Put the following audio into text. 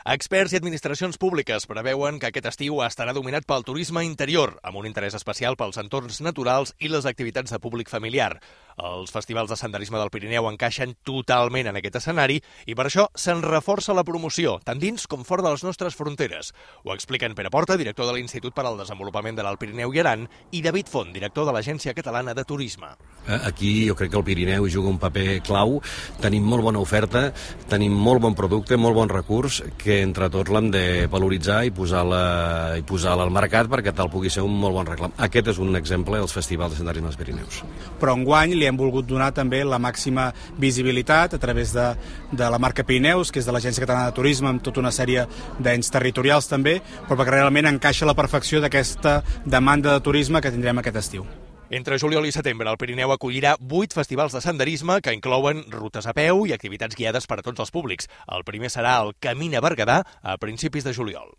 Experts i administracions públiques preveuen que aquest estiu estarà dominat pel turisme interior, amb un interès especial pels entorns naturals i les activitats de públic familiar. Els festivals de senderisme del Pirineu encaixen totalment en aquest escenari i per això se'n reforça la promoció, tant dins com fora de les nostres fronteres. Ho expliquen Pere Porta, director de l'Institut per al Desenvolupament de l'Alt Pirineu i Aran, i David Font, director de l'Agència Catalana de Turisme. Aquí jo crec que el Pirineu juga un paper clau, tenim molt bona oferta, tenim molt bon producte, molt bon recurs, que entre tots l'hem de valoritzar i posar-la al mercat perquè tal pugui ser un molt bon reclam. Aquest és un exemple dels festivals de senderisme dels Pirineus. Però enguany li hem volgut donar també la màxima visibilitat a través de la marca Pirineus, que és de l'Agència Catalana de Turisme, amb tota una sèrie d'ens territorials també, però perquè realment encaixa a la perfecció d'aquesta demanda de turisme que tindrem aquest estiu. Entre juliol i setembre, el Pirineu acollirà 8 festivals de senderisme que inclouen rutes a peu i activitats guiades per a tots els públics. El primer serà el Camina Berguedà a principis de juliol.